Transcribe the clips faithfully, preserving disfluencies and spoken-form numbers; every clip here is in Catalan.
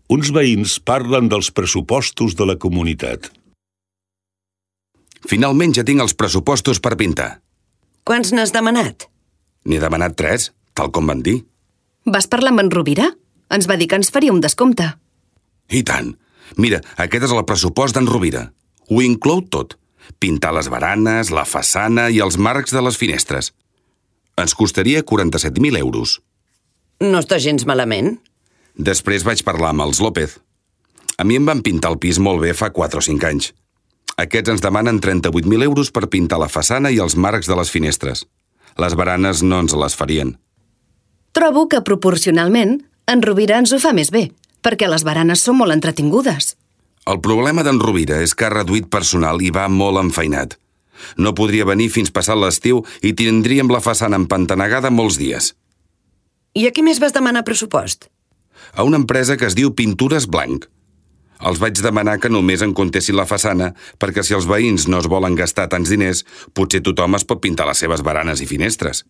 Uns veïns parlen dels pressupostos de la comunitat. Finalment ja tinc els pressupostos per pintar. Quants n'has demanat? N'he demanat tres, tal com van dir. Vas parlar amb en Rovira? Ens va dir que ens faria un descompte. I tant. Mira, aquest és el pressupost d'en Rovira. Ho inclou tot. Pintar les baranes, la façana i els marcs de les finestres. Ens costaria quaranta-set mil euros. No està gens malament. Després vaig parlar amb els López. A mi em van pintar el pis molt bé fa quatre o cinc anys. Aquests ens demanen trenta-vuit mil euros per pintar la façana i els marcs de les finestres. Les baranes no ens les farien. Trobo que proporcionalment en Rovira ens ho fa més bé, perquè les baranes són molt entretingudes. El problema d'en Rovira és que ha reduït personal i va molt enfeinat. No podria venir fins passat l'estiu i tindríem la façana empantanegada molts dies. I a qui més vas demanar pressupost? A una empresa que es diu Pintures Blanc. Els vaig demanar que només en comptessin la façana perquè si els veïns no es volen gastar tants diners, potser tothom es pot pintar les seves baranes i finestres.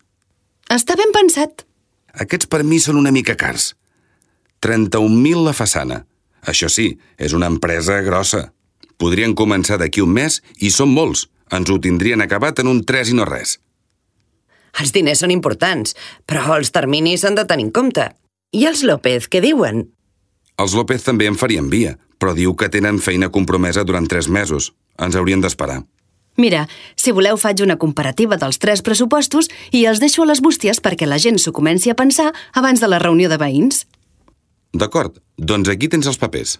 Està ben pensat. Aquests per mi són una mica cars. trenta-un mil la façana. Això sí, és una empresa grossa. Podrien començar d'aquí un mes i són molts. Ens ho tindrien acabat en un tres i no res. Els diners són importants, però els terminis s'han de tenir en compte. I els López, què diuen? Els López també en farien via, però diu que tenen feina compromesa durant tres mesos. Ens haurien d'esperar. Mira, si voleu faig una comparativa dels tres pressupostos i els deixo a les bústies perquè la gent s'ho comenci a pensar abans de la reunió de veïns. D'acord, doncs aquí tens els papers.